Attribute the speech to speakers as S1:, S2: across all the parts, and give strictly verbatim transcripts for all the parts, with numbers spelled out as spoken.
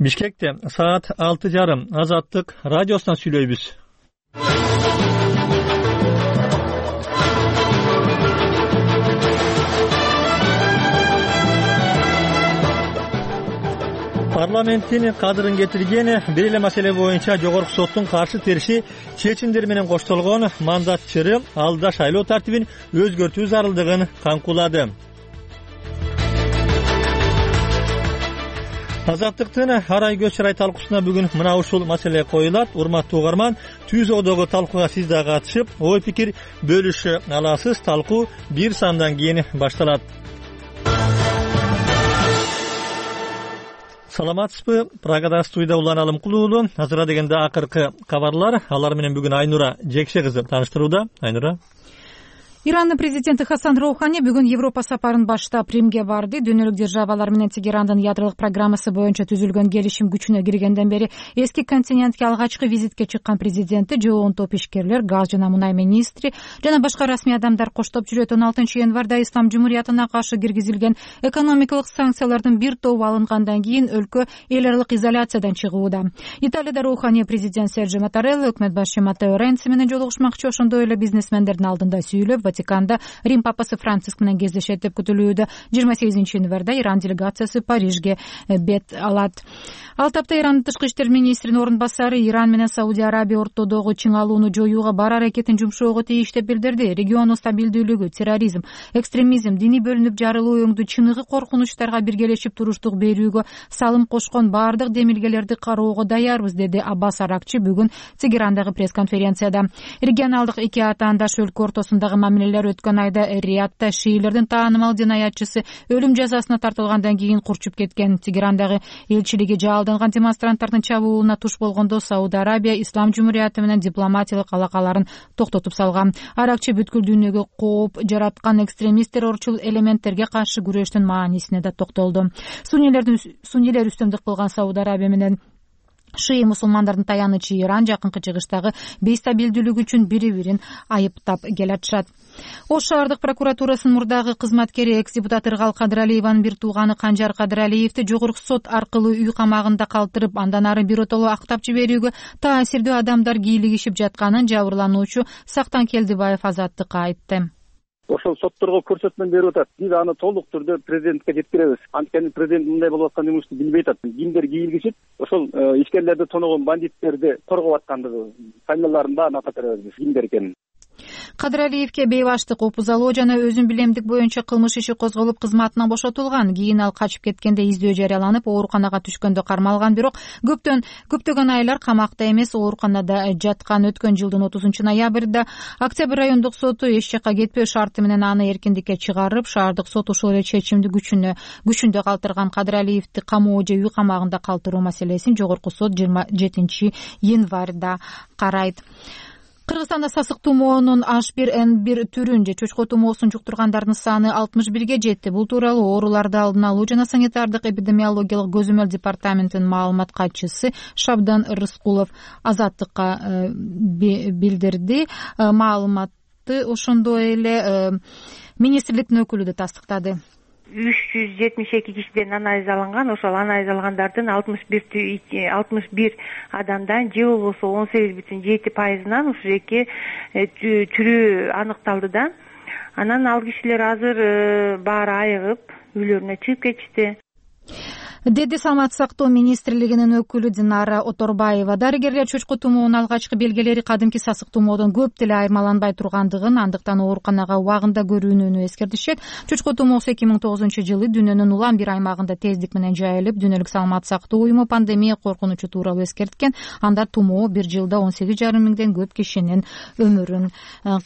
S1: Бишкекте саат алты жарым Азаттык радиосунан сүйлөйбүз. Парламенттин кадырын кетирген бир эле маселе боюнча Жогорку соттун каршы териши чечимдер менен коштолгон мандат чыры алда шайлоо тартибин өзгөртүү зарылдыгын камкулады. Азаттыктын арай көч чырай талкуусуна бүгүн мына ушул маселе коюлат. Урматтуу угарман, түз одогу талкууга сиз да катышып, ой пикир бөлүшө аласыз. Талкуу бир сандан кийин башталат. Саламатсызбы? Прагада студияда Улан Алымкулуулу. Азыр дегенде акыркы кабарлар. Алар менен бүгүн Айнура Жекше кызы тааныштырууда. Айнура.
S2: Ирандын президенти Хасан Роухани бүгүн Европа сапарын баштап Римге барды. Дүйнөлүк державалар менен Тегерандын ядролук программасы боюнча түзүлгөн келишим күчүнө киргенден бери эски континентке алгачкы визитке чыккан президенти жоон топ ишкерлер, газ жана мунай министри жана башка расмий адамдар коштоп жүрөт. он алтынчы январда Ислам Жумуриятына каршы киргизилген экономикалык санкциялардын бир тобу алынгандан кийин өлкө эл аралык изоляциядан чыгууда. Италияда Роухани президент Серджо Маттарелла, өкмөт башчы Маттео Ренци менен жолугушмакчы. Ошондой эле бизнесмендердин алдында сүйлөп, Ватиканда Рим папасы Франциск менен кездешет деп күтүлүүдө. жыйырма сегизинчи январда Иран делегациясы Парижге бет алат. Ал тапта Ирандын тышкы иштер министринин орун басары Иран менен Саудия Арабия ортодогу чыңалууну жоюуга бар аракетин жумшоого тийиш деп билдирди. Региондун стабилдүүлүгү, терроризм, экстремизм, диний бөлүнүп жарылуу өңдү чыныгы коркунучтарга биргелешип туруштук берүүгө салым кошкон баардык демилгелерди кароого даярбыз, деди Аббас Аракчы бүгүн Тегерандагы пресс-конференцияда. Регионалдык эки атаандаш өлкө ортосундагы мамилелер өткөн айда Риядда шиилердин таанымал жинаятчысы өлүм жазасына тартылгандан кийин курчуп кеткен. Тегерандагы элчилиги жалданган демонстранттардын чабуулуна туш болгондо Саудия Арабия Ислам Жумурияты менен дипломатиялык алакаларын токтотуп салган. Аракчы бүткүл дүйнөгө кооп жараткан экстремист террорчул элементтерге каршы күрөштүн маанисине да токтолду. Суннилердин суннилер үстөмдүк кылган Саудия Арабия менен шии мусулмандардын таянычы Иран жакынкы чыгыштагы бейстабилдүүлүк үчүн бири-бирин айыптап келатышат. Ош шаардык прокуратурасынын мурдагы кызматкери экс-депутат Ыргал Кадыралиеванын бир тууганы Канжар Кадыралиевди жогорку сот аркылуу үй камагында калтырып, андан ары биротоло актап жиберүүгө таасирдүү адамдар кийлигишип жатканын жабырлануучу Сактан Келдибаев Азаттыкка айтты.
S3: Ошол сотторго көрсөтмө берип атат. Биз аны толук түрдө президентке жеткиребиз. Анткени президент мындай болуп аткан эмнени билбей атат. Кимдер кийлигишип, ошол ишкерлерди тоногон бандиттерди коргоп аткандыгы, фамилияларын баарын атап беребиз. Кимдер экенин.
S2: Кадыралиевке бейбаштык, опузалоо жана өзүн билемдик боюнча кылмыш иши козголуп кызматынан бошотулган. Кийин ал качып кеткенде издөө жарыяланып, ооруканага түшкөндө кармалган, бирок көптөн көптөгөн айлар камакта эмес, ооруканада жаткан. Өткөн жылдын отузунчу ноябрда Октябрь райондук соту эч жакка кетпөө шарты менен аны эркиндикке чыгарып, шаардык сот ошол эле чечимди күчүнө күчүндө калтырган. Кадыралиевди камоо же үй камагында калтыруу маселесин жогорку сот жыйырма жетинчи январда карайт. Кыргызстанда сасык тумоонун H бир N бир түрүн же чөчкө тумоосун жуктургандардын саны алтымыш бирге жетти. Бул тууралуу ооруларды алдын алуу жана санитардык эпидемиологиялык көзөмөл департаментинин маалымат катчысы Шабдан Рыскулов Азаттыкка билдирди. Маалыматты ошондой эле министрликтин өкүлү да тастыктады.
S4: үч жүз жетимиш эки кишиден анализ алынган. Ошол анализ алгандардын алтымыш бир адамдан же болбосо он сегиз бүтүн жети пайызынан ушул эки чүрүү аныкталды да. Анан ал кишилер азыр баары айыгып, үйлөрүнө чыгып кетишти,
S2: деди Саламаттык сактоо министрлигинин өкүлү Динара Оторбаева. Дарыгерлер чөчкө тумоонун алгачкы белгилери кадимки сасык тумоодон көп деле айырмаланбай тургандыгын, андыктан ооруканага убагында көрүүнү эскертишет. Чөчкө тумоосу эки миң тогузунчу жылы дүйнөнүн улам бир аймагында тездик менен жайылып, Дүйнөлүк саламаттык сактоо уюму пандемия коркунучу тууралуу эскерткен. Анда тумоо бир жылда он сегиз жарым миңден көп кишинин өмүрүн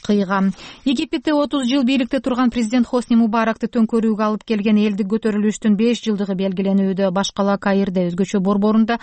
S2: кыйган. Египетте отуз жыл бийликте турган президент Хосни Мубаракты төңкөрүүгө алып келген элдик көтөрүлүштүн беш жылдыгы белгиленүүдө. Башкала Каирде, өзгөчө борборунда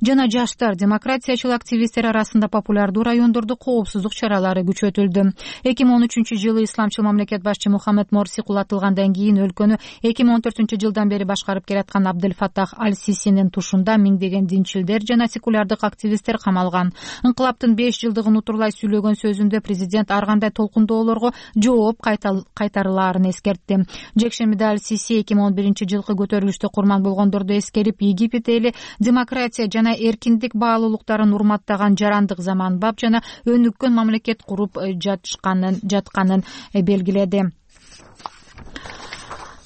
S2: жана жаштар, демократиячыл активисттер арасында популярдуу райондордо коопсуздук чаралары күчөтүлдү. эки миң он үчүнчү жылы исламчыл мамлекет башчы Мухаммед Морси кулатылгандан кийин өлкөнү эки миң он төртүнчү жылдан бери башкарып келаткан Абдель Фаттах Аль-Сисинин тушунда миңдеген динчилдер жана секулярдык активисттер камалган. Инкылаптын беш жылдыгын утурлай сүйлөгөн сөзүндө президент ар кандай толкундоолорго жооп кайтарылаарын эскертти. Жекшемиде Аль-Сиси эки миң он биринчи жылкы көтөрүлүштө курман болгондорду болоорун эскерип, Египет эли демократия жана эркиндик баалуулуктарын урматтаган жарандык заманбап жана өнүккөн мамлекет куруп жатышканын жатканын белгиледи.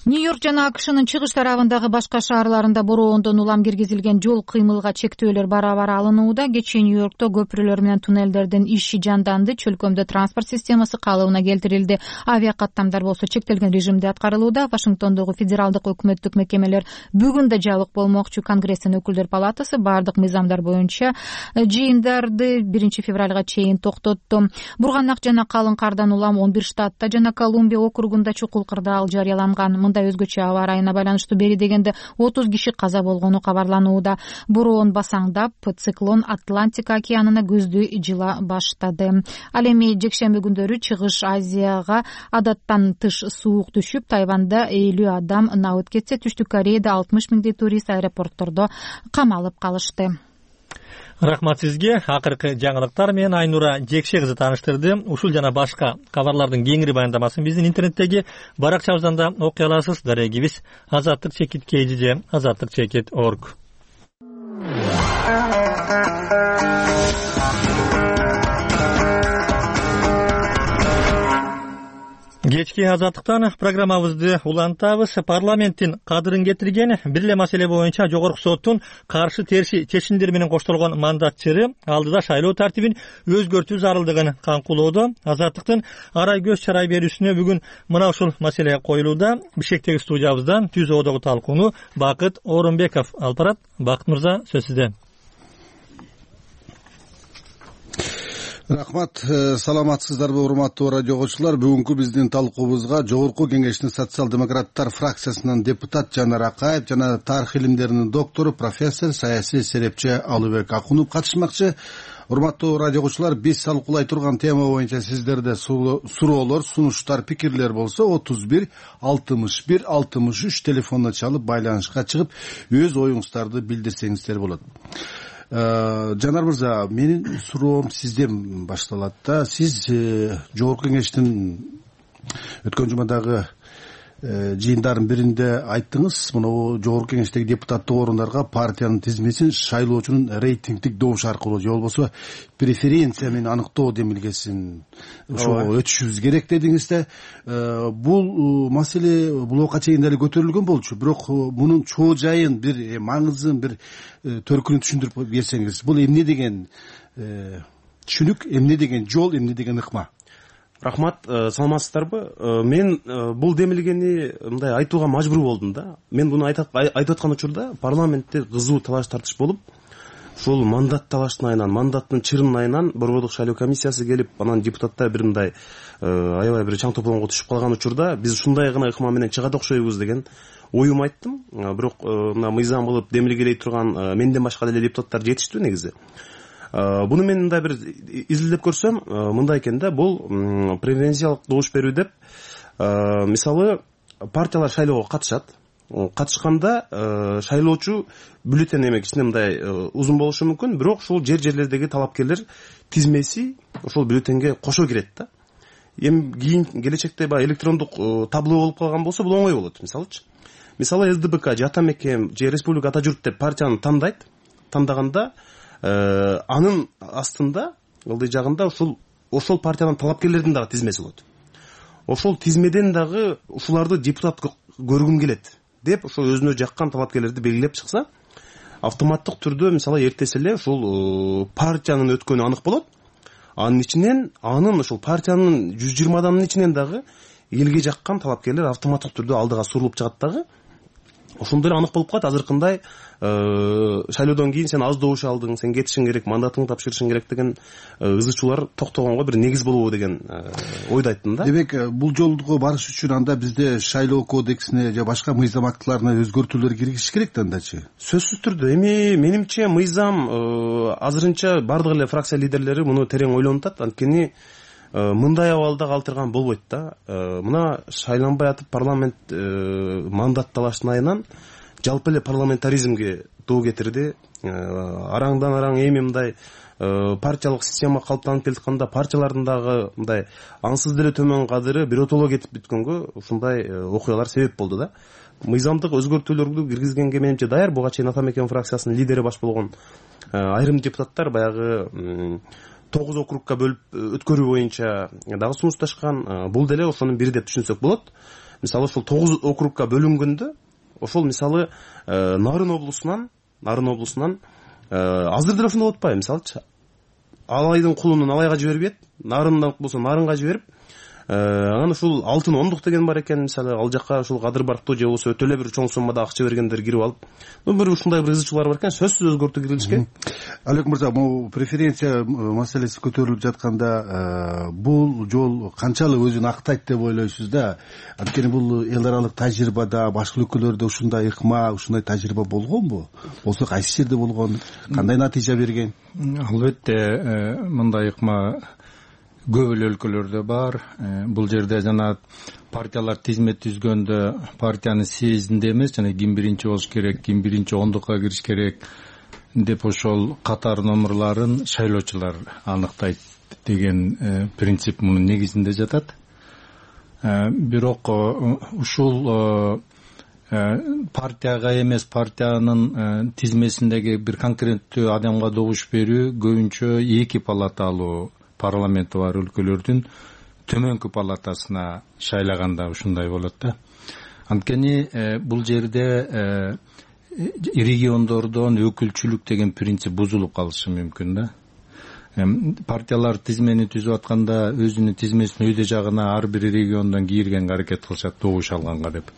S2: Нью-Йорк жана АКШнын чыгыш тарабындагы башка шаарларында бороондон улам киргизилген жол кыймылга чектөөлөр бара-бара алынууда. Кечээ Нью-Йоркто көпүрөлөр менен туннелдердин иши жанданды. Чөлкөмдө транспорт системасы калыбына келтирилди. Авиа каттамдар болсо чектелген режимде аткарылууда. Вашингтондогу федералдык өкмөттүк мекемелер бүгүн да жабык болмокчу. Конгресстин өкүлдөр палатасы бардык мыйзамдар боюнча жыйындарды биринчи февралга чейин токтотту. Бурганак жана калың кардан улам он бир штатта жана Колумбия округунда чукул кырдаал жарыяланган. Өзгөчө аба ырайына байланыштуу бери дегенде отуз киши каза болгону кабарланууда. Бороон басаңдап, циклон Атлантика океанына көздү жыла баштады. Ал эми жекшемби күндөрү Чыгыш Азияга адаттан тыш суук түшүп, Тайванда элүү адам набыт кетсе, Түштүк Кореяда алтымыш миңдей турист аэропорттордо камалып калышты.
S1: Рахмат сизге. Акыркы жаңылыктар менен Айнура Жекше кызы тааныштырды. Ушул жана башка кабарлардын кеңири баяндамасын биздин интернеттеги баракчабыздан да окуй аласыз. Дарегибиз азаттык чекит kgj азаттык чекит org. Кечки азаттыктан программабызды улантабыз. Парламенттин кадырын кетирген бир эле маселе боюнча Жогорку соттун каршы терши чечимдери менен коштолгон мандатчыры алдыда шайлоо тартибин өзгөртүү зарылдыгын канкулоодо. Азаттыктын арай көз чарай берүүсүнө бүгүн мына ушул маселе коюлууда. Бишкектеги студиябыздан түз одогу талкууну Бакыт Орунбеков алып барат. Бакыт мырза, сөз сизде.
S5: Рахмат, саламатсыздарбы урматтуу радио окуучулар. Бүгүнкү биздин талкуубузга Жогорку Кеңештин социал-демократтар фракциясынан депутат Жанар Акаев жана тарых илимдеринин доктору, профессор, саясий серепчи Алыбек Акунов катышмакчы. Урматтуу радио окуучулар, биз талкуулай турган тема боюнча сиздерде суроолор, сунуштар, пикирлер болсо отуз бир алтымыш бир алтымыш үч телефонуна чалып байланышка чыгып өз оюңуздарды билдирсеңиздер болот. Жанар мырза, менин суроом сизден башталат да. Сиз Жогорку Кеңештин өткөн жумадагы жыйындардын биринде айттыңыз, мына Жогорку Кеңештеги депутаттык орундарга партиянын тизмесин шайлоочунун рейтингдик добуш аркылуу же болбосо преференция менен аныктоо демилгесин ошо өтүшүбүз керек дедиңиз да. Бул маселе бул убакка чейин эле көтөрүлгөн болчу, бирок мунун чоо жайын, бир маңызын, бир төркүнүн түшүндүрүп берсеңиз. Бул эмне деген түшүнүк, эмне деген жол, эмне деген ыкма?
S6: Рахмат, саламатсыздарбы? Мен бул демилгени мындай айтууга мажбур болдум да. Мен буну айтып аткан учурда парламентте кызуу талаш тартыш болуп, ушул мандат талаштын айынан, мандаттын чырынын айынан Борбордук шайлоо комиссиясы келип, анан депутаттар бир мындай аябай бир чаң тополоңго түшүп калган учурда биз ушундай гана ыкма менен чыгат окшойбуз деген оюм айттым. Бирок мына мыйзам кылып демилгелей турган менден башка деле депутаттар жетиштүү негизи. Буну мен мындай бир изилдеп көрсөм, мындай экен да, бул преференциялык добуш берүү деп, мисалы партиялар шайлоого катышат. Катышканда шайлоочу бюллетень эме кичине мындай узун болушу мүмкүн, бирок ушул жер-жерлердеги талапкерлер тизмеси ошол бюллетенге кошо кирет да. Эми кийин келечекте баягы электрондук табло болуп калган болсо бул оңой болот, мисалычы. Мисалы СДБК же Ата Мекем же Республика Ата Журт деп партияны тандайт. Тандаганда анын астында, ылдый жагында ушул ошол партиянын талапкерлердин дагы тизмеси болот. Ошол тизмеден дагы ушуларды депутат көргүм келет деп, ошол өзүнө жаккан талапкерлерди белгилеп чыкса, автоматтык түрдө мисалы эртеси эле ушул партиянын өткөнү анык болот. Анын ичинен, анын ошол партиянын жүз жыйырма адамынын ичинен дагы элге жаккан талапкерлер автоматтык түрдө алдыга сурулуп чыгат дагы. Ошондой анык болуп калат. Азыркындай шайлоодон кийин сен аз добуш алдың, сен кетишиң керек, мандатыңды тапшырышың керек деген ызы чуулар токтогонго бир негиз болобу деген ойду айттым да.
S5: Демек, бул жолго барыш үчүн анда бизде шайлоо кодексине же башка мыйзам актыларына өзгөртүүлөр киргизиш керек да андачы?
S6: Сөзсүз түрдө. Эми менимче мыйзам азырынча бардык эле фракция лидерлери муну терең ойлонуп, анткени мындай абалда калтырган болбойт да. Мына шайланбай атып парламент мандат талаштын айынан жалпы эле парламентаризмге доо кетирди. Араңдан араң эми мындай партиялык система калыптанып келатканда партиялардын дагы мындай аңсыз деле төмөн кадыры биротоло кетип бүткөнгө ушундай окуялар себеп болду да. мыйзамдык өзгөртүүлөрдү киргизгенге менимче даяр. Буга чейин ата мекен фракциясынын лидери баш болгон айрым депутаттар баягы тогуз округка бөлүп өткөрүү боюнча дагы сунушташкан. Бул деле ошонун бири деп түшүнсөк болот. Мисалы ошол тогуз округка бөлүнгөндө ошол мисалы Нарын облусунан Нарын облусунан азыр деле ошондой болуп атпайбы? Мисалычы Алайдын кулунун Алайга жибербейт, Нарындан болсо Нарынга жиберип, анан ушул алтын ондук деген бар экен, мисалы ал жакка ушул кадыр барктуу же болбосо өтө эле бир чоң суммада акча бергендер кирип алып, бир ушундай бир ызычуулар бар экен. Сөзсүз өзгөртүү кирилиш керек.
S5: Алек мырза, могу преференция маселеси көтөрүлүп жатканда бул жол канчалык өзүн актайт деп ойлойсуз да? Анткени бул эл аралык тажрыйбада башка өлкөлөрдө ушундай ыкма, ушундай тажрыйба болгонбу? Болсо кайсы жерде болгон? Кандай натыйжа берген?
S7: Албетте мындай ыкма көп эле өлкөлөрдө бар. Бул жерде жана партиялар тизмет түзгөндө партиянын съездинде эмес, жана ким биринчи болуш керек, ким биринчи ондукка кириш керек деп ошол катар номерларын шайлоочулар аныктайт деген принцип мунун негизинде жатат. Бирок ушул партияга эмес, партиянын тизмесиндеги бир конкреттүү адамга добуш берүү көбүнчө эки палаталуу парламенти бар өлкөлөрдүн төмөнкү палатасына шайлаганда ушундай болот да. Анткени бул жерде региондордон өкүлчүлүк деген принцип бузулуп калышы мүмкүн да. Партиялар тизмени түзүп атканда өзүнүн тизмесин өйдө жагына ар бир региондон кийиргенге аракет кылышат, добуш алганга деп.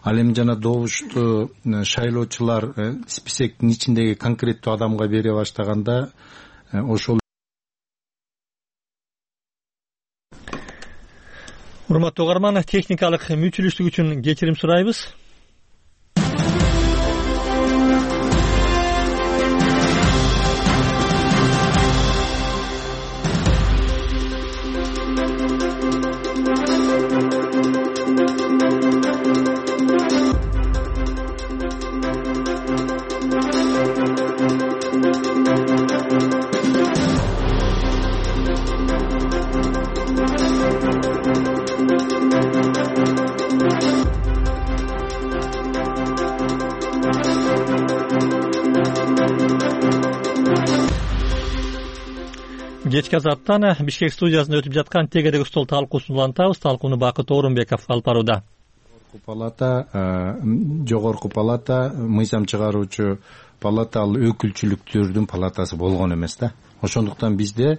S7: Ал эми жана добушту шайлоочулар списоктун ичиндеги конкреттүү адамга бере баштаганда ошол.
S1: Урматтуу угарман, техникалык мүчүлүштүк үчүн кечирим сурайбыз. Кечки азаттан Бишкек студиясында өтүп жаткан тегедеги стол талкуусун улантабыз. Талкууну Бакыт Орунбеков алып барууда.
S7: Палата, жогорку палата, мыйзам чыгаруучу палата ал өкүлчүлүктөрдүн палатасы болгон эмес да. Ошондуктан бизде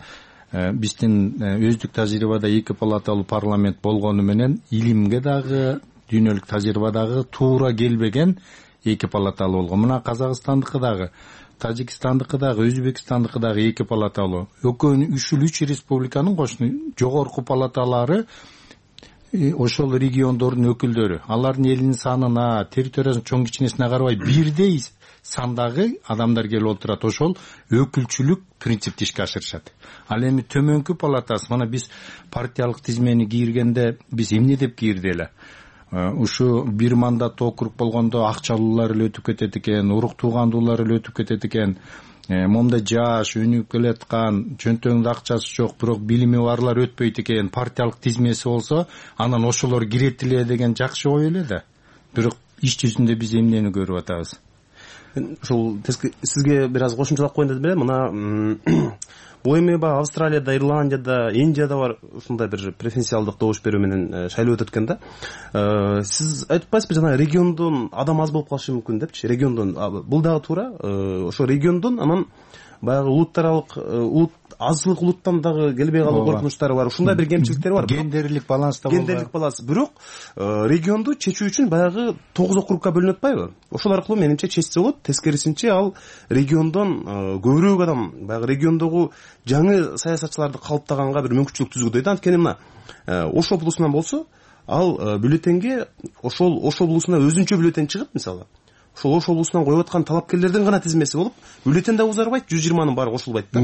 S7: биздин өздүк тажрыйбада эки палаталуу парламент болгону менен илимге дагы, дүйнөлүк тажрыйбадагы туура келбеген эки палаталуу болгон. Мына Казакстандыкы дагы, Тажикстандыкы дагы, Өзбекстандыкы дагы эки палаталуу. Экөөнүн үчүл үч республиканын кошуну жогорку палаталары ошол региондордун өкүлдөрү. Алардын элинин санына, территориясынын чоң кичинесине карабай бирдей сандагы адамдар келип отурат. Ошол өкүлчүлүк принципти ишке ашырышат. Ал эми төмөнкү палатасы, мына биз партиялык тизмени кийиргенде биз эмне деп кийирди эле? Ушу бир мандаттуу округ болгондо акчалуулар эле өтүп кетет экен, урук туугандуулар эле өтүп кетет экен. Момда жаш, өнүгүп келаткан, чөнтөгүндө акчасы жок, бирок билими барлар өтпөйт экен. Партиялык тизмеси болсо, анан ошолор кирет эле деген жакшы ой эле да. Бирок иш жүзүндө биз эмнени көрүп атабыз?
S6: Ушул сизге бир аз кошумчалап коеюн деп элем. Мына бул эми баягы Австралияда, Ирландияда, Индияда бар ушундай бир преференциалдык добуш берүү менен шайлоо өтөт экен да. Сиз айтып атпайсызбы, жана региондон адам аз болуп калышы мүмкүн депчи? Региондон бул дагы туура. Ошо региондон анан баягы улуттаралык улут азчылык улуттан дагы келбей калуу коркунучтары бар. Ушундай бир кемчиликтери бар.
S7: Гендерлик баланста
S6: болгон. Гендерлик баланс. Бирок регионду чечүү үчүн баягы тогуз округка бөлүнүп атпайбы? Ошол аркылуу менимче чечсе болот. Тескерисинче ал региондон көбүрөөк адам баягы региондогу жаңы саясатчыларды калыптаганга бир мүмкүнчүлүк түзгүдөйт. Анткени мына Ош облусунан болсо, ал бюллетенге ошол Ош облусуна өзүнчө бюллетен чыгып, мисалы ошол Ош облусунан коюп аткан талапкерлердин гана тизмеси болуп, бюллетен да узарбайт, жүз жыйырманын баары кошулбайт да.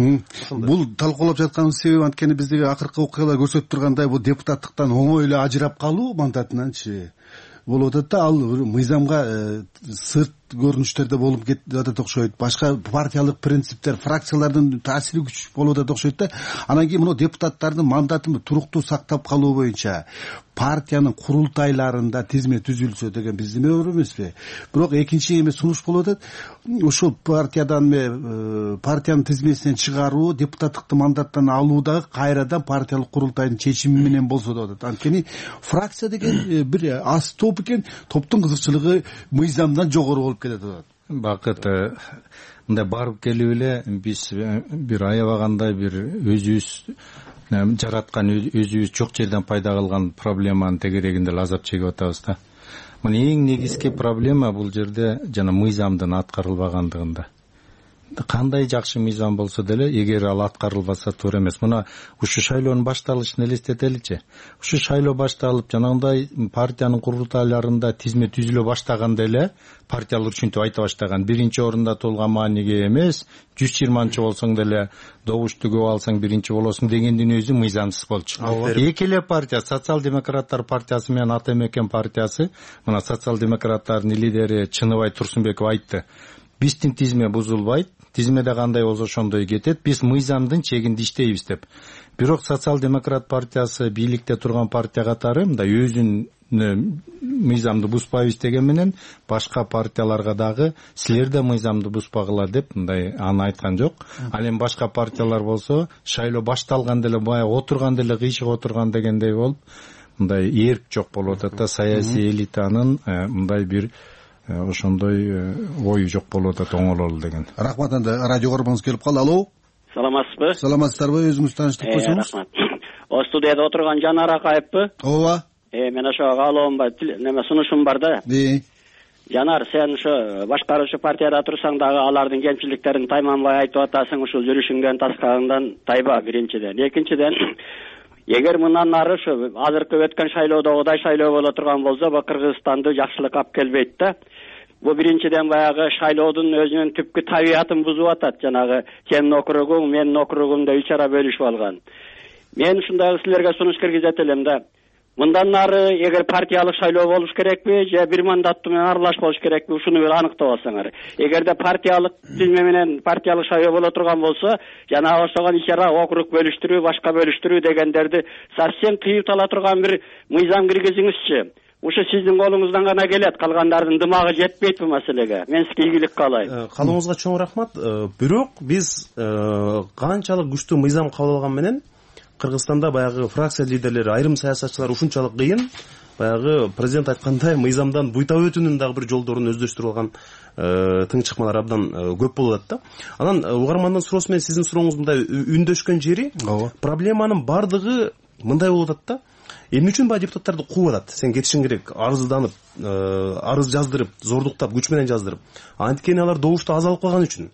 S5: Бул талкуулап жатканыбыз себеби анткени биздеги акыркы окуялар көрсөтүп тургандай, бул депутаттыктан оңой эле ажырап калуу мандатынанчы болуп атат да. Ал мыйзамга сырт көрүнүштөрдө болуп кетип атат окшойт, башка партиялык принциптер, фракциялардын таасири күч болуп атат окшойт да. Анан кийин мына депутаттардын мандатын туруктуу сактап калуу боюнча партиянын курултайларында тизме түзүлсө деген биздин оор эмеспи? Бирок экинчи эме сунуш болуп атат. Ушул партиядан эме партиянын тизмесинен чыгаруу, депутаттыкты мандаттан алуу дагы кайрадан партиялык курултайдын чечими менен болсо деп атат. Анткени фракция деген бир аз топ экен, топтун кызыкчылыгы мыйзамдан жогору болуп кетет деп атат.
S7: Бакыт мындай барып келип эле биз бир аябагандай бир өзүбүз жараткан, өзүбүз жок жерден пайда кылган проблеманын тегерегинде азап чегип атабыз да. Мына эң негизги проблема бул жерде жана мыйзамдын аткарылбагандыгында. Кандай жакшы мыйзам болсо деле, эгер ал аткарылбаса туура эмес. Мына ушу шайлоонун башталышын элестетеличи. Ушу шайлоо башталып, жанагындай партиянын курултайларында тизме түзүлө баштаганда эле партиялар үчүнтүп айта баштаган. Биринчи орунда туулган мааниге эмес, жүз жыйырманчы болсоң деле добушту көп алсаң биринчи болосуң дегендин өзү мыйзамсыз болчу. Эки эле партия, социал-демократтар партиясы менен Ата Мекен партиясы, мына социал-демократтардын лидери Чыныбай Турсунбеков айтты. Биздин тизме бузулбайт, тизмеде кандай болсо ошондой кетет, биз мыйзамдын чегинде иштейбиз деп. Бирок социал-демократ партиясы бийликте турган партия катары мындай өзүн мыйзамды бузбайбыз деген менен башка партияларга дагы силер да мыйзамды бузбагыла деп мындай аны айткан жок. Ал эми башка партиялар болсо шайлоо башталганда эле баягы отурганда эле кыйшык отурган дегендей болуп мындай эрк жок болуп атат да, саясий элитанын мындай бир ошондой ою жок болуп атат, оңололу деген.
S5: Рахмат. Анда радио көргөнүңүз келип калды. Алло.
S8: Саламатсызбы?
S5: Саламатсыздарбы? Өзүңүз тааныштырып койсоңуз.
S8: Рахмат. О студияда отурган Жанар Акаевпи?
S5: Ооба.
S8: Э, мен ошо каалоом бар, неме сунушум бар да.
S5: Э.
S8: Жанар, сен ошо башкаруучу партияда турсаң дагы алардын кемчиликтерин тайманбай айтып атасың, ушул жүрүшүңдөн таскагыңдан тайба биринчиден. Экинчиден, эгер мындан ары ушу азыркы өткөн шайлоодогудай шайлоо боло турган болсо, бу Кыргызстанды жакшылык алып келбейт да. Бу биринчиден баягы шайлоодун өзүнүн түпкү табиятын бузуп атат. Жанагы сенин округуң, менин округум деп ичара бөлүшүп алган. Мен ушундай силерге сунуш киргизет элем да. Мындан ары эгер партиялык шайлоо болуш керекпи же бир мандаттуу менен аралаш болуш керекпи, ушуну бир аныктап алсаңар. Эгерде партиялык тизме менен партиялык шайлоо боло турган болсо, жана ошого ичара округ бөлүштүрүү, башка бөлүштүрүү дегендерди совсем тыйып ала турган бир мыйзам киргизиңизчи. Ушу сиздин колуңуздан гана келет, калгандардын дымагы жетпейт бул маселеге. Мен сизге ийгилик каалайм.
S6: Калууңузга чоң рахмат. Бирок биз канчалык күчтүү мыйзам кабыл алган менен Кыргызстанда баягы фракция лидерлери, айрым саясатчылар ушунчалык кыйын, баягы президент айткандай мыйзамдан буйтап өтүүнүн дагы бир жолдорун өздөштүрүп алган тың чыкмалар абдан көп болуп атат да. Анан угармандын суроосу менен сиздин сурооңуз мындай үндөшкөн жери, проблеманын бардыгы мындай болуп атат да. Эмне үчүн баягы депутаттарды кууп атат? Сен кетишиң керек, арызданып, арыз жаздырып, зордуктап, күч менен жаздырып. Анткени алар добушту азалып калган үчүн.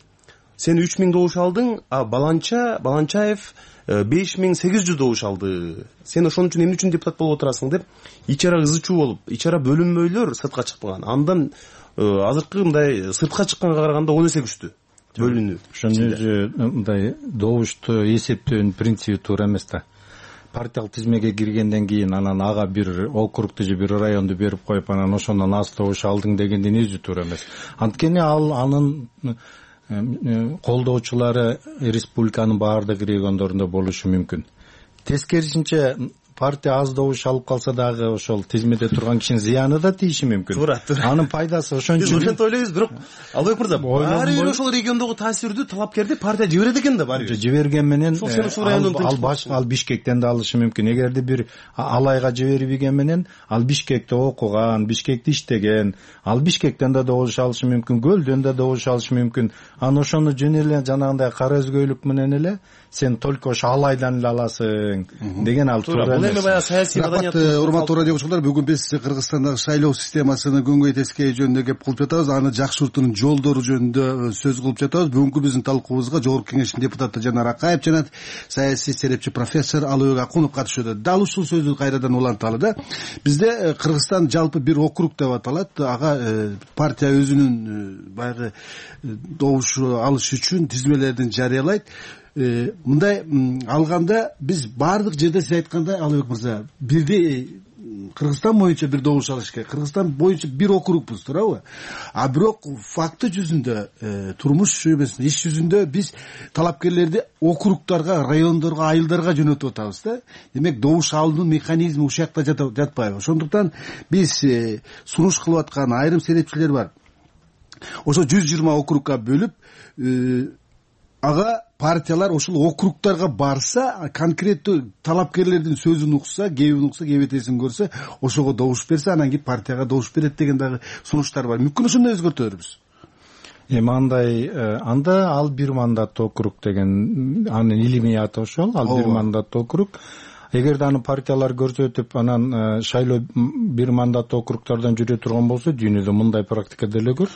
S6: Сен үч миң добуш алдың, а Баланча, Баланчаев беш миң сегиз жүз добуш алды. Сен ошон үчүн эмне үчүн депутат болуп отурасың деп ичара ызы чуу болуп, ичара бөлүнмөйлөр сыртка чыкпаган. Андан азыркы мындай сыртка чыкканга караганда он эсе күчтүү бөлүнүү.
S7: Ошонун өзү мындай добушту эсептөөнүн принциби туура эмес да. Партиялык тизмеге киргенден кийин анан ага бир округду же бир районду берип коюп, анан ошондон аз добуш алдың дегендин өзү туура эмес. Анткени ал анын колдоочулары республиканын баардык региондорунда болушу мүмкүн. Тескерисинче партия аз добуш алып калса дагы ошол тизмеде турган кишинин зыяны да тийиши мүмкүн.
S6: Туура, туура.
S7: Анын пайдасы ошон үчүн.
S6: Биз ошентип ойлойбуз, бирок Албек мырза, баары бир ошол региондогу таасирдүү талапкерди партия жиберет экен да баары.
S7: Жиберген менен ал баш ал Бишкектен да алышы мүмкүн. Эгерде бир алайга жибербеген менен ал Бишкекте окуган, Бишкекте иштеген, ал Бишкектен да добуш алышы мүмкүн, Көлдөн да добуш алышы мүмкүн. Аны ошону жөн эле жанагындай кара өзгөйлүк менен эле сен только ошо алайдан эле аласың деген ал туура эмес.
S6: Бул эми баягы саясий маданият.
S5: Урматтуу радио көрүүчүлөр, бүгүн биз Кыргызстандагы шайлоо системасынын көңгөй тескей жөнүндө кеп кылып жатабыз. Аны жакшыртуунун жолдору жөнүндө сөз кылып жатабыз. Бүгүнкү биздин талкуубузга Жогорку Кеңештин депутаты Жанар Акаев жана саясий серепчи профессор Алыбек Акунов катышууда. Дал ушул сөздү кайрадан уланталы да. Бизде Кыргызстан жалпы бир округ деп аталат. Ага партия өзүнүн баягы добуш алыш үчүн тизмелерин жарыялайт. Мындай алганда биз баардык жерде сиз айткандай, Алыбек мырза, бирдей Кыргызстан боюнча бир добуш алыш керек. Кыргызстан боюнча бир округбуз, туурабы? А бирок факты жүзүндө, турмуш эмесинде, иш жүзүндө биз талапкерлерди округдарга, райондорго, айылдарга жөнөтүп атабыз да. Демек добуш алуунун механизми ушул жакта жатпайбы. Ошондуктан биз сунуш кылып аткан айрым серепчилер бар. Ошо жүз жыйырма округга бөлүп, ага партиялар ошол округдарга барса, конкреттүү талапкерлердин сөзүн укса, кебин укса, кебетесин көрсө, ошого добуш берсе, анан кийин партияга добуш берет деген дагы сунуштар бар. Мүмкүн ошондой өзгөртөбүз.
S7: Эми андай анда ал бир мандаттуу округ деген анын илимий аты ошол, ал бир мандаттуу округ. Эгерде аны партиялар көрсөтүп, анан шайлоо бир мандаттуу округдардан жүрө турган болсо, дүйнөдө мындай практика деле көп.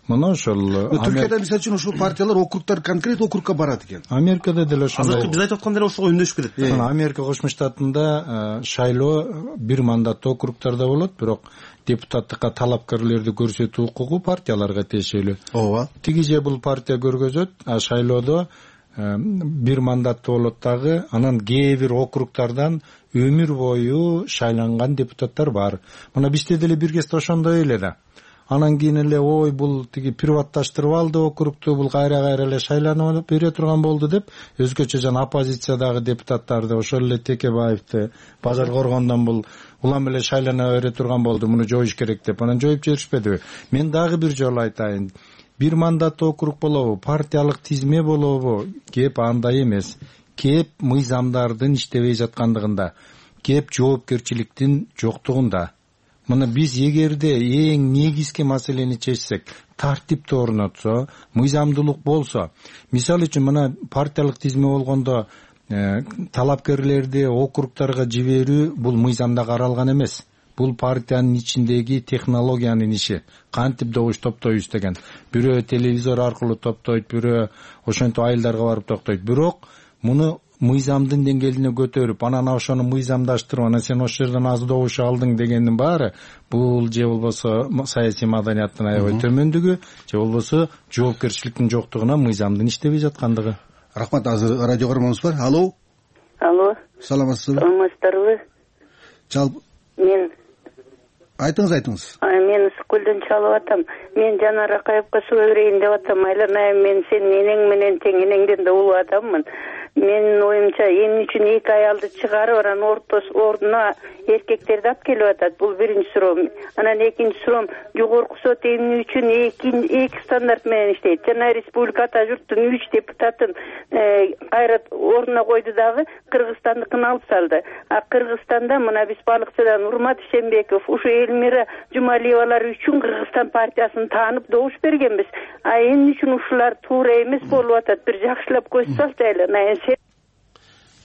S7: Мына ошол
S5: Түркияда мисалы үчүн ушул партиялар округдар конкрет округга барат экен.
S7: Америкада деле ошондой.
S6: Азыркы биз айтып аткан деле ошого үндөшүп кетет.
S7: Мына Америка Кошмо Штатында шайлоо бир мандаттуу округдарда болот, бирок депутаттыкка талапкерлерди көрсөтүү укугу партияларга тиешелүү.
S5: Ооба.
S7: Тиги же бул партия көргөзөт, а шайлоодо бир мандаттуу болот дагы, анан кээ бир округдардан өмүр бою шайланган депутаттар бар. Мына бизде деле бир кезде ошондой эле да. Анан кийин эле ой бул тиги приватташтырып алды округту, бул кайра кайра эле шайланып бере турган болду деп, өзгөчө жана оппозициядагы депутаттарды, ошол эле Текебаевди Бажар Коргондон бул улам эле шайлана бере турган болду, муну жоюш керек деп, анан жоюп жиберишпедиби? Мен дагы бир жолу айтайын. Бир мандаттуу округ болобу, партиялык тизме болобу, кеп андай эмес. Кеп мыйзамдардын иштебей жаткандыгында, кеп жоопкерчиликтин жоктугунда. Мына биз эгерде эң негизги маселени чечсек, тартипти орнотсо, мыйзамдуулук болсо, мисалы үчүн мына партиялык тизме болгондо талапкерлерди округдарга жиберүү бул мыйзамда каралган эмес. Бул партиянын ичиндеги технологиянын иши. Кантип добуш топтойбуз деген. Бирөө телевизор аркылуу топтойт, бирөө ошентип айылдарга барып токтойт. Бирок муну мыйзамдын деңгээлине көтөрүп, анан ошону мыйзамдаштырып, анан сен ошол жерден аз добуш алдың дегендин баары бул же болбосо саясий маданияттын аябай төмөндүгү, же болбосо жоопкерчиликтин жоктугунан мыйзамдын иштебей жаткандыгы.
S5: Рахмат, азыр радио көрмөңүз бар. Алло.
S9: Алло.
S5: Саламатсызбы?
S9: Саламатсыздарбы?
S5: Жалпы
S9: мен
S5: айтыңыз, айтыңыз.
S9: Мен Ысыккөлдөн чалып атам. Мен Жанар Акаевка суу берейин деп атам. Айланайым, мен сен энең менен тең, энеңден да улуу адаммын. Менин оюмча эмне үчүн эки аялды чыгарып, анан ортос ордуна эркектерди алып келип атат? Бул биринчи суроом. Анан экинчи суроом, жогорку сот эмне үчүн эки эки стандарт менен иштейт? Жана республика ата журттун үч депутатын кайра ордуна койду дагы Кыргызстандыкын алып салды. А Кыргызстанда мына биз балыкчыдан Урмат Ишембеков, ушу Элмира Жумалиевалар үчүн Кыргызстан партиясын таанып добуш бергенбиз. А эмне үчүн ушулар туура эмес болуп атат? Бир жакшылап көз салчы айланайын.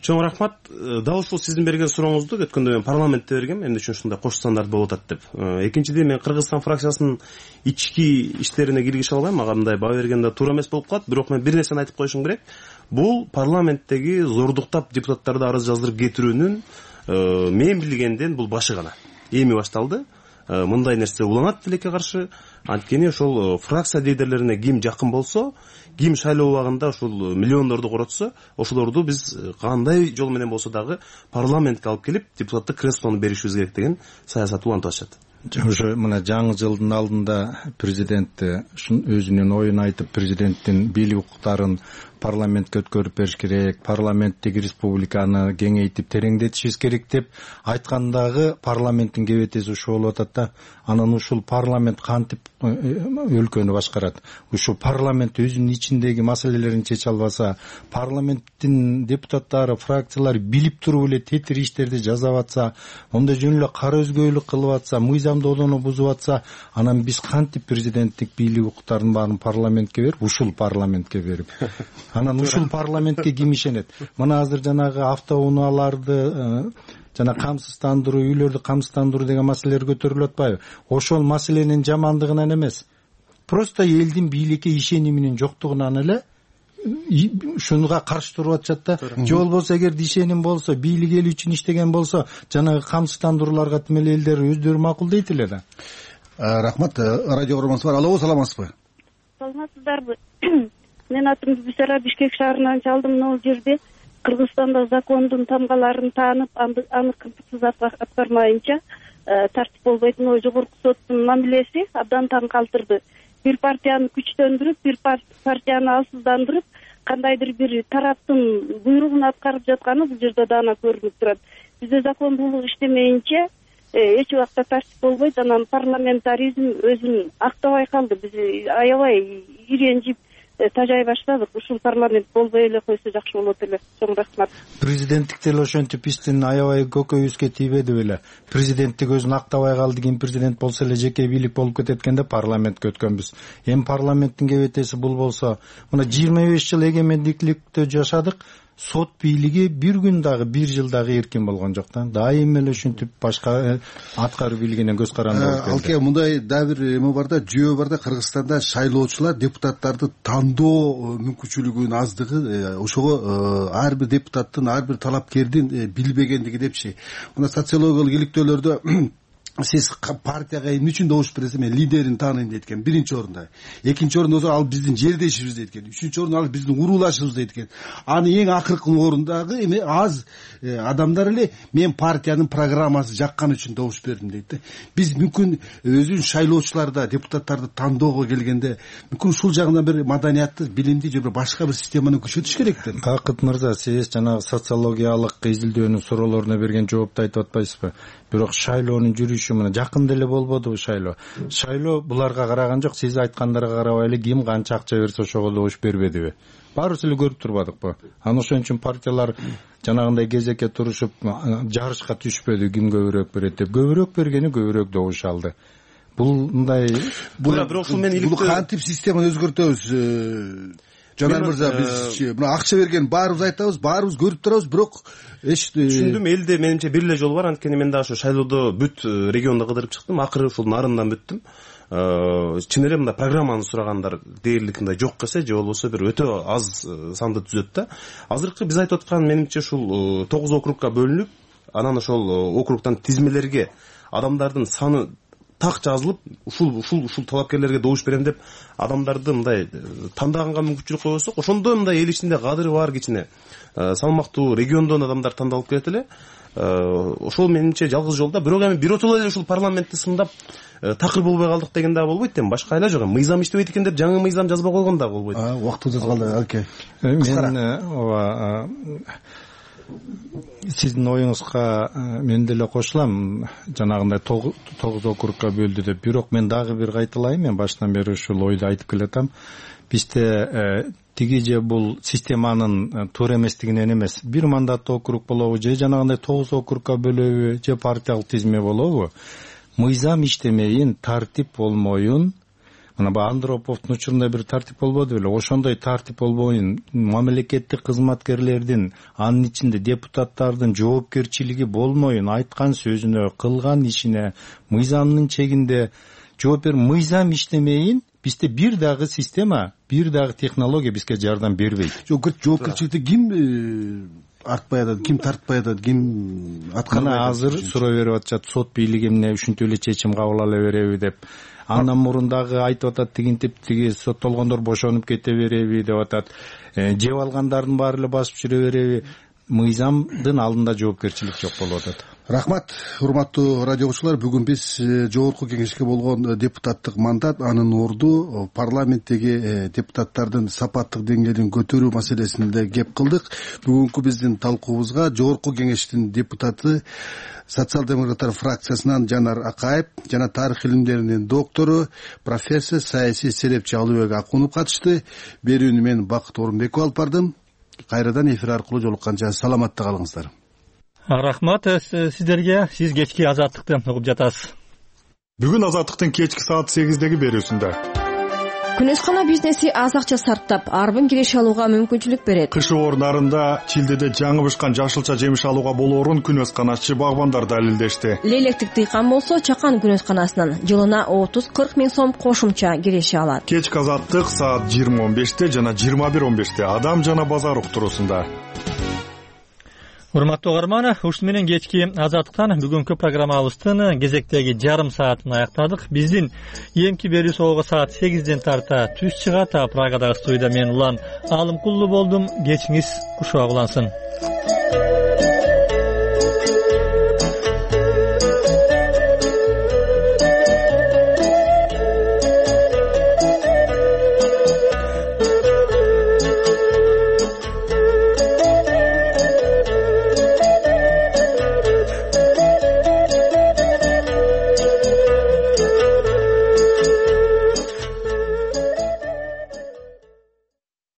S6: Чоң рахмат. Дал ушул сиздин берген сурооңузду өткөндө мен парламентте бергем, эмне үчүн ушундай кош стандарт болуп атат деп. Экинчиден, мен Кыргызстан фракциясынын ички иштерине киргише албайм, мага мындай баа бергенде туура эмес болуп калат. Бирок мен бир нерсени айтып коюшум керек. Бул парламенттеги зордуктап депутаттарды арыз жаздырып кетирүүнүн мен билгенден бул башы гана. Эми башталды. Мындай нерсе уланат тилекке каршы. Анткени ошол фракция лидерлерине ким жакын болсо, ким шайлоо убагында ушул миллиондорду коротсо, ошолорду биз кандай жол менен болсо дагы парламентке алып келип, депутаттык креслону беришибиз керек деген саясат улантып атышат.
S7: Ошо мына жаңы жылдын алдында президент өзүнүн оюн айтып, президенттин бийлик укуктарын парламентке өткөрүп бериш керек, парламенттеги республиканы кеңейтип тереңдетишибиз керек деп айткандагы парламенттин кебетеси ушул болуп атат да. Анан ушул парламент кантип өлкөнү башкарат? Ушул парламент өзүнүн ичиндеги маселелерин чече албаса, парламенттин депутаттары, фракциялар билип туруп эле тетир иштерди жасап атса, онда жөн эле кара өзгөйлүк кылып атса, мыйзамдоодону бузуп атса, анан биз кантип президенттик бийлик укуктарын баарын парламентке берип, ушул парламентке берип, анан ушул парламентке ким ишенет? Мына азыр жанагы автоунааларды жана камсыздандыруу, үйлөрдү камсыздандыруу деген маселелер көтөрүлүп атпайбы? Ошол маселенин жамандыгынан эмес, просто элдин бийликке ишениминин жоктугунан эле ушунга каршы туруп атышат да. Же болбосо эгер ишеним болсо, бийлик эл үчүн иштеген болсо, жанагы камсыздандырууларга тим эле элдер өздөрү макулдейт эле да.
S5: Рахмат. Радио көрмөңүз бар. Алло, саламатсызбы?
S9: Саламатсыздарбы? Мен атым Бисара, Бишкек шаарынан чалдым. Могул жерде Кыргызстанда закондун тамгаларын таанып, аны кыргызсыз аткармайынча тартип болбойт. Мына жогорку соттун мамилеси абдан таң калтырды. Бир партияны күчтөндүрүп, бир партияны алсыздандырып, кандайдыр бир тараптын буйругун аткарып жатканы бул жерде даана көрүнүп турат. Бизде закондуулук иштемейинче эч убакта тартип болбойт. Анан парламентаризм өзүн актабай калды. Биз аябай иренжип тажай баштадык. Ушул парламент болбой эле койсо жакшы болот эле. Чоң рахмат.
S7: Президенттик деле ошентип биздин аябай көкөйүбүзгө тийбеди беле. Президенттик өзүн актабай калды, кийин президент болсо эле жеке бийлик болуп кетет экен деп парламентке өткөнбүз. Эми парламенттин кебетеси бул болсо, мына жыйырма беш жыл эгемендиктикте жашадык. Сот бийлиги бир күн дагы, бир жыл дагы эркин болгон жок да. Дайым эле ушинтип башка аткаруу бийлигинен көз каранды болуп келди.
S5: Алке, мындай дагы бир эме бар да, жүйө бар да, Кыргызстанда шайлоочулар депутаттарды тандоо мүмкүнчүлүгүнүн аздыгы, ошого ар бир депутаттын, ар бир талапкердин билбегендиги депчи. Мына социологиялык иликтөөлөрдө сиз партияга эмне үчүн добуш бересиз? Мен лидерин тааныйм дейт экен, биринчи орунда. Экинчи орунда болсо ал биздин жердешибиз дейт экен. Үчүнчү орунда ал биздин уруулашыбыз дейт экен. Аны эң акыркы орундагы эме аз адамдар эле мен партиянын программасы жаккан үчүн добуш бердим дейт да. Биз мүмкүн өзүн шайлоочуларда, депутаттарды тандоого келгенде мүмкүн ушул жагынан бир маданиятты, билимди же башка бир системаны күчөтүш керек да.
S7: Какыт мырза, сиз жанагы социологиялык изилдөөнүн суроолоруна берген жоопту айтып атпайсызбы? Бирок шайлоонун жүрүшү мына жакында эле болбодубу шайлоо? Шайлоо буларга караган жок, сиз айткандарга карабай эле ким канча акча берсе ошого добуш бербедиби? Баарыбыз эле көрүп турбадыкпы? Анан ошон үчүн партиялар жанагындай кезекке турушуп жарышка түшпөдү, ким көбүрөөк берет деп. Көбүрөөк бергени көбүрөөк добуш алды. Бул мындай
S5: бул бирок ушул мен иликтөө кантип системаны өзгөртөбүз? Жанар мырза, биз мына акча берген баарыбыз айтабыз, баарыбыз көрүп турабыз, бирок эч
S6: түшүндүм. Элде менимче бир эле жол бар. Анткени мен дагы ошо шайлоодо бүт региондо кыдырып чыктым. Акыры ушул нарындан бүттүм. Чын эле мындай программаны сурагандар дээрлик мындай жок эсе, же болбосо бир өтө аз санды түзөт да. Азыркы биз айтып аткан менимче ушул тогуз округка бөлүнүп, анан ошол округтан тизмелерге адамдардын саны так жазылып, ушул ушул ушул талапкерлерге добуш берем деп адамдарды мындай тандаганга мүмкүнчүлүк койсок, ошондо мындай эл ичинде кадыры бар кичине салмактуу региондон адамдар тандалып келет эле. Ошол менимче жалгыз жол да. Бирок эми биротоло эле ушул парламентти сындап такыр болбой калдык деген дагы болбойт. Эми башка айла жок. Мыйзам иштебейт экен деп жаңы мыйзам жазбай койгон дагы болбойт.
S5: Убактыбыз калды, Алке.
S7: Мен ооба сиздин оюңузга мен деле кошулам. Жанагындай тогуз округка бөлдү деп. Бирок мен дагы бир кайталайм. Мен баштан бери ушул ойду айтып келатам. Бизде тиги же бул системанын туура эместигинен эмес. Бир мандаттуу округ болобу же жанагындай тогуз округка бөлөбү же партиялык тизме болобу? Мыйзам иштемейин, тартип болмоюн. Мына бу Андроповдун учурунда бир тартип болбоду беле? Ошондой тартип болбоюн, мамлекеттик кызматкерлердин, анын ичинде депутаттардын жоопкерчилиги болмоюн, айткан сөзүнө, кылган ишине мыйзамдын чегинде жооп бер. Мыйзам иштемейин, бизде бир дагы система, бир дагы технология бизге жардам бербейт.
S5: Жоопкерчиликти ким артпай атат, ким тартпай атат, ким аткарбай атат?
S7: Мына азыр суроо берип атышат, сот бийлиги эмне ушинтип эле чечим кабыл ала береби деп. Андан мурун дагы айтып атат, тигинтип тиги соттолгондор бошонуп кете береби деп атат. Жеп алгандардын баары эле басып жүрө береби? Мыйзамдын алдында жоопкерчилик жок болуп атат.
S5: Рахмат, урматтуу радио окуучулар. Бүгүн биз жогорку кеңешке болгон депутаттык мандат, анын орду, парламенттеги депутаттардын сапаттык деңгээлин көтөрүү маселесинде кеп кылдык. Бүгүнкү биздин талкуубузга жогорку кеңештин депутаты, социал-демократтар фракциясынан Жанар Акаев жана тарых илимдеринин доктору, профессор, саясий серепчи Алыбек Акунов катышты. Берүүнү мен Бакыт Орунбеков алып бардым. Кайрадан эфир аркылуу жолукканча саламатта калыңыздар.
S1: Рахмат сиздерге. Сиз кечки Азаттыкты угуп жатасыз.
S10: Бүгүн Азаттыктын кечки саат сегиздеги берүүсүндө
S11: Күнөскана бизнеси аз акча сарптап, арбын киреш алууга мүмкүнчүлүк берет.
S10: Кышы орундарында Чилдеде жаңы бышкан жашылча жемиш алууга болоорун күнөсканачы багбандар далилдешти.
S11: Лейлектик дыйкан болсо Чакан күнөсканасынан жылына отуз кырк миң сом кошумча киреше алат.
S10: Кечки Азаттык саат жыйырма он беште жана жыйырма бир он беште Адам жана базар уктуруусунда.
S1: урматтуу угарман, ушуну менен кечки Азаттыктан бүгүнкү программабыздын кезектеги жарым саатын аяктадык. Биздин эмки берүү соого саат сегизден тарта түз чыгат. Прагадагы студияда мен Улан Алымкулду болдум. Кечиңиз кушак улансын.